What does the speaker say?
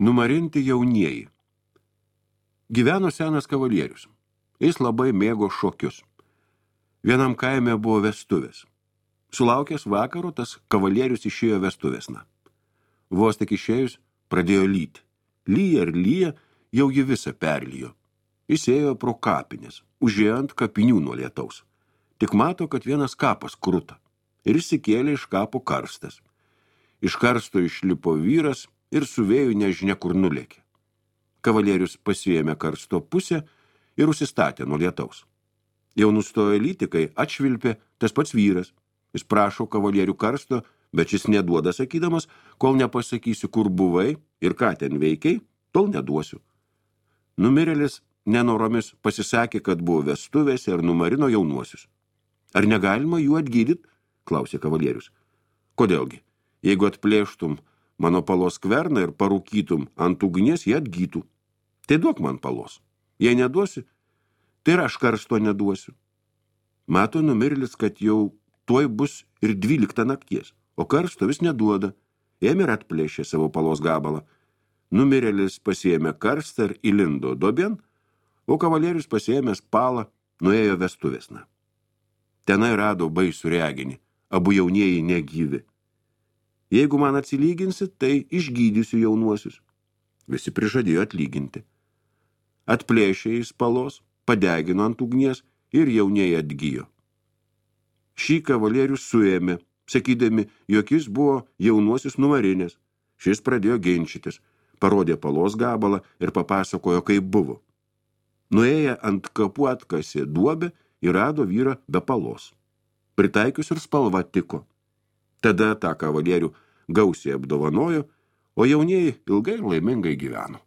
Numarinti jaunieji. Gyveno senas kavalierius. Jis labai mėgo šokius. Vienam kaime buvo vestuvės. Sulaukęs vakaro, tas kavalierius išėjo vestuvėsna. Vos tik išėjus, pradėjo lyti. Lyja ir lyja, jau jį visą perlijo. Jis ėjo pro kapines, užėjo ant kapinių nuo lietaus. Tik mato, kad vienas kapas kruta. Ir išsikėlė iš kapo karstas. Iš karsto išlipo vyras ir su vėju nežinia kur nulėkė. Kavalierius pasiėmė karsto pusę ir užsistatė nuo lietaus. Jau nustojo lyti, kai atšvilpė tas pats vyras. Jis prašo kavalierių karsto, bet šis neduoda sakydamas, kol nepasakysiu, kur buvai ir ką ten veikiai, tol neduosiu. Numirėlis nenoromis pasisakė, kad buvo vestuvėse ir numarino jaunuosius. Ar negalima jų atgydyti? Klausė kavalierius. Kodėlgi? Jeigu atplėštum mano palos skverną ir parūkytum ant ugnies, jie atgytų. Tai duok man palos. Jei neduosi, tai ir aš karsto neduosiu. Mato numirėlis, kad jau tuoj bus ir 12 nakties, o karsto vis neduoda. Ėmė ir atplėšė savo palos gabalą. Numirėlis pasiėmė karstą ir įlindo dobien, o kavalierius pasiėmęs palą nuėjo vestuvėsna. Tenai rado baisų reginį, abu jaunieji negyvi. Jeigu man atsilyginsi, tai išgydysiu jaunuosius. Visi prižadėjo atlyginti. Atplėšė iš palos, padegino ant ugnies ir jaunieji atgyjo. Šį kavalierius suėmė, sakydami, jog jis buvo jaunuosius numarinės. Šis pradėjo ginčytis, parodė palos gabalą ir papasakojo, kaip buvo. Nuėję ant kapų atkasė duobę ir rado vyrą be palos. Pritaikius ir spalva tiko. Tada tą kavalierių gausiai apdovanojo, o jaunieji ilgai laimingai gyveno.